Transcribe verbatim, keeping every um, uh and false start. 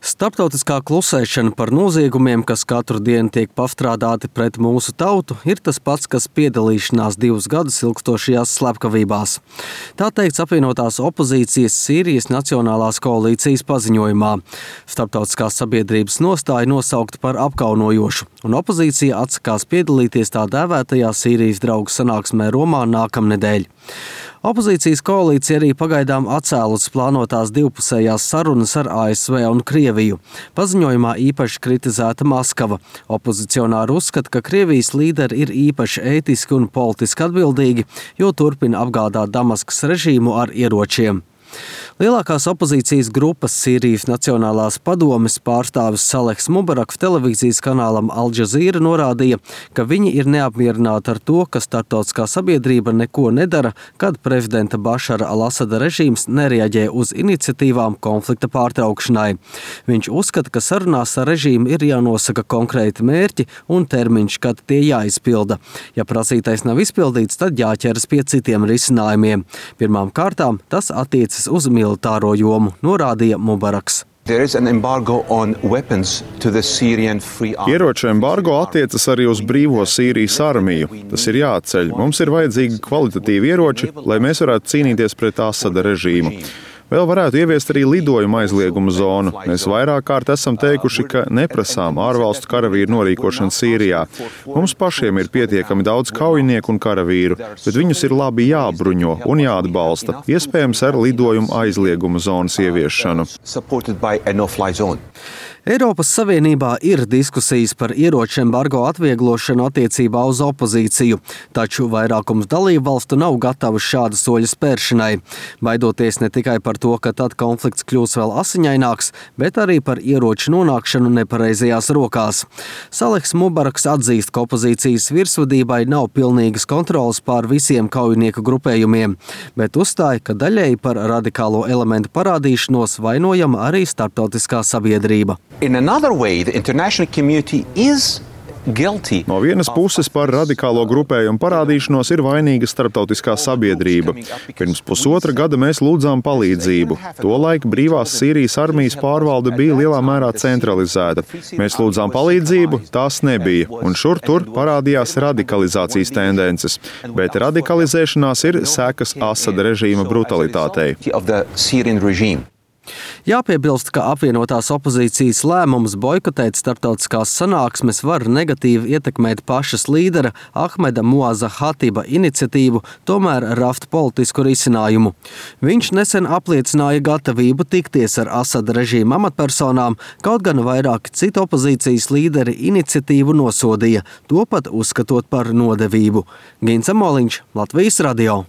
Starptautiskā klusēšana par noziegumiem, kas katru dienu tiek pastrādāti pret mūsu tautu, ir tas pats, kas piedalīšanās divus gadus ilgstošajās slepkavībās. Tā teikts apvienotās opozīcijas Sīrijas Nacionālās koalīcijas paziņojumā. Starptautiskās sabiedrības nostāja nosaukta par apkaunojošu, un opozīcija atsakās piedalīties tā dēvētajā Sīrijas draugu sanāksmē Romā nākamnedēļ. Opozīcijas koalīcija arī pagaidām atcēlusi plānotās divpusējās sarunas ar A S V un Krieviju. Paziņojumā īpaši kritizēta Maskava. Opozicionāri uzskata, ka Krievijas līderi ir īpaši ētiski un politiski atbildīgi, jo turpina apgādāt Damaskas režīmu ar ieročiem. Lielākās opozīcijas grupas Sīrijas Nacionālās padomes pārstāvis Salehs Mubaraks televīzijas kanālam Al Jazeera norādīja, ka viņi ir neapmierināti ar to, ka starptautiskā sabiedrība neko nedara, kad prezidenta Bašara al-Asada režīms nereaģē uz iniciatīvām konflikta pārtraukšanai. Viņš uzskata, ka sarunās ar režīmu ir jānosaka konkrēti mērķi un termiņš, kad tie jāizpilda. Ja prasītais nav izpildīts, tad jāķeras pie citiem risinājumiem. Pirmām kārtām tas attiecas uz militāro jomu, norādīja Mubaraks. Ieroču embargo attiecas arī uz brīvo Sīrijas armiju. Tas ir jāatceļ. Mums ir vajadzīgi kvalitatīvi ieroči, lai mēs varētu cīnīties pret Asada režīmu. Vēl varētu ieviest arī lidojuma aizlieguma zonu. Mēs vairāk kārt esam teikuši, ka neprasām ārvalstu karavīru norīkošanu Sīrijā. Mums pašiem ir pietiekami daudz kaujinieku un karavīru, bet viņus ir labi jābruņo un jāatbalsta, iespējams ar lidojuma aizlieguma zonas ieviešanu. Eiropas Savienībā ir diskusijas par ieroču embargo atvieglošanu attiecībā uz opozīciju, taču vairākums dalību valstu nav gatavas šāda soļa spēršanai. Baidoties ne tikai par to, ka tad konflikts kļūs vēl asiņaināks, bet arī par ieroču nonākšanu nepareizajās rokās. Salehs Mubaraks atzīst, ka opozīcijas virsvadībai nav pilnīgas kontrolas pār visiem kaujinieku grupējumiem, bet uzstāja, ka daļēji par radikālo elementu parādīšanos vainojama arī starptautiskā sabiedrība. In another way, the international community is guilty. No vienas puses par radikālo grupējumu parādīšanos ir vainīga starptautiskā sabiedrība. Pirms pusotra gada mēs lūdzām palīdzību. Tolaik brīvās Sīrijas armijas pārvalde bija lielā mērā centralizēta. Mēs lūdzām palīdzību, tās nebija, un šur tur parādījās radikalizācijas tendences. Bet radikalizēšanās ir sekas Asada režīma brutalitātei. Jāpiebilst, ka apvienotās opozīcijas lēmums boikotēt starptautiskās sanāksmes var negatīvi ietekmēt pašas līdera Ahmeda Muaza Hatiba iniciatīvu, tomēr raft politisku risinājumu. Viņš nesen apliecināja gatavību tikties ar Asada režīma amatpersonām, kaut gan vairāki citi opozīcijas līderi iniciatīvu nosodīja, to pat uzskatot par nodevību. Gins Amoliņš, Latvijas radio.